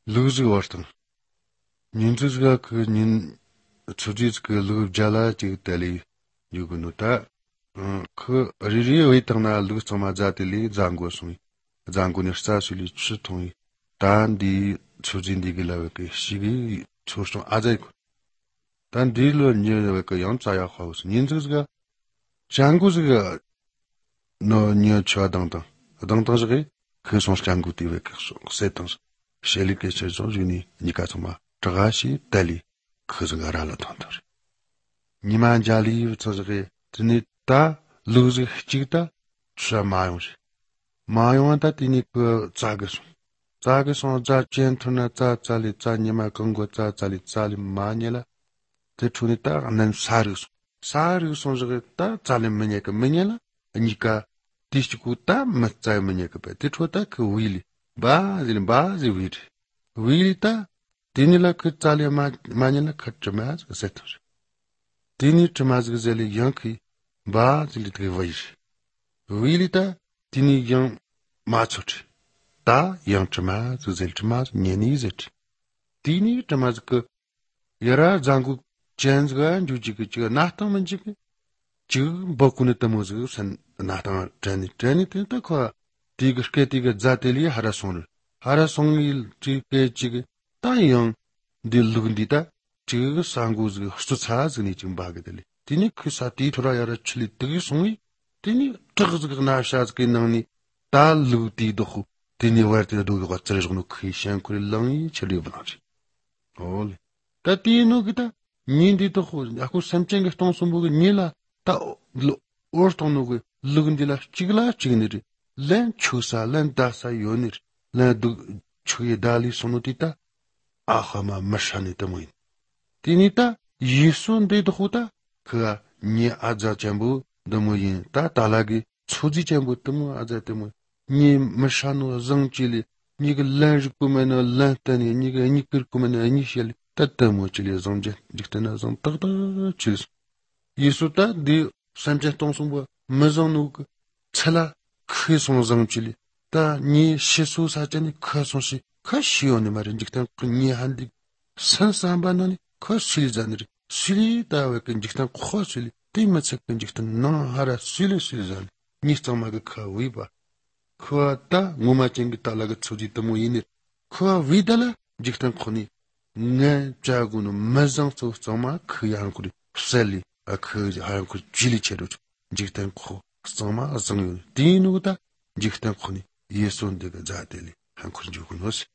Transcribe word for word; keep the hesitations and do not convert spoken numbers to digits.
루즈 워스턴 닌즈가 그닌 초지스 그 루자라 지텔리 유구누타 그 리리 웨이터나 루스마자텔리 장고스미 장고니스타술리 추통이 단디 초진디길라베 시기 초스통 아자이 단 딜로 니르베 영자야 하우스 닌즈가 장고즈가 너 니어 쳐당당 당당즈게 그 손스 장고티베 그 세탄스 셀리케 세존주니 니카토마 트가시 텔리 그즈가라라 탄다리 니만자리 저저게 드니타 루즈 히치타 샤마요시 마요한타 티니 그 자게소 자게소 자 젠투나 자 잘리 자 니마 건고 자 잘리 잘리 마니라 테투니타 안난 사르스 사르스 저게 타 잘리 메니까 메니라 니까 디스쿠타 맞자 메니까 베티투타 그 윌리 바질 바지 윌리 윌리타 디니라 그 잘리 마 마니라 카트마즈 세토스 디니 트마즈 그젤리 양키 바질 트리바이시 윌리타 디니 양 마초치 다 양트마즈 젤트마즈 니니제티 디니 트마즈 그 여라 장구 젠즈가 주지그 지가 나타만지그 지금 버쿠네 타모즈 산 나타 트레니 트레니 트타 디그스케 디그 자텔리 하라송을 하라송일 지게 지게 따영 딜루근디다 지그 상구즈 수차즈니 지금 바게들리 디니 크사티 토라야라 칠리 뜨기 송이 디니 뜨그즈그 나샤즈게 나니 달루디도후 디니 와르티다 도가 츠르즈노 크리시안 쿠릴랑이 칠리브나지 올 따티노 기타 닌디도후 아쿠 삼첸게 통송부게 닐라 타 오르토노게 루근디라 치글라 치그니리 len chusa len dasa yonir len du chuye dali sonotita ahama mashani tamuin tinita yisun de dokhuta ka ni aja chambu damuin ta talagi chuji chambu tamu aja tamu ni mashanu zangchili ni ga len jkumena len tani ni ga ni kir kumena ni shel tatamu chili zangje diktana zang tagda chilis yisuta di samje tongsumba mazanu chala 크송정질이 다니 시수 사전이 크송시 크시오니 말인 직단 그니 한디 산산반노니 크실자니리 실이다웨 근직단 코실이 띠마체 근직단 나하라 실실잔 니스토마가 카위바 크와타 무마칭기 탈라가 초지토모 이니 크와 위달라 직단 코니 네 자구노 마장소 소마 크양쿠리 셀리 아크 하양쿠 질리체로 직단 코 Soma azang dinuda jiktan khuni yeson de zateli han kun jugun os